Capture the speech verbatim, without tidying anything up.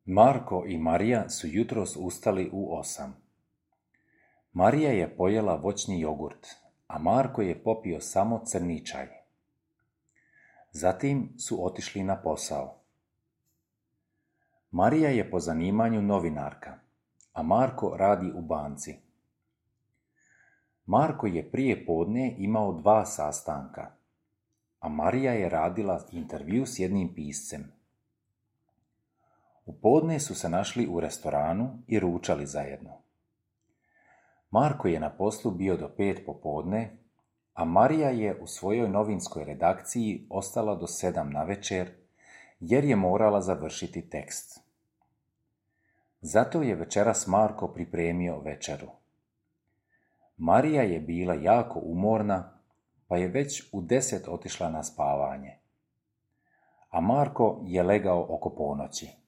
Marko i Marija su jutros ustali u osam. Marija je pojela voćni jogurt, a Marko je popio samo crni čaj. Zatim su otišli na posao. Marija je po zanimanju novinarka, a Marko radi u banci. Marko je prije podne imao dva sastanka, a Marija je radila intervju s jednim piscem. U podne su se našli u restoranu i ručali zajedno. Marko je na poslu bio do pet popodne, a Marija je u svojoj novinskoj redakciji ostala do sedam navečer, jer je morala završiti tekst. Zato je večeras Marko pripremio večeru. Marija je bila jako umorna, pa je već u deset otišla na spavanje, a Marko je legao oko ponoći.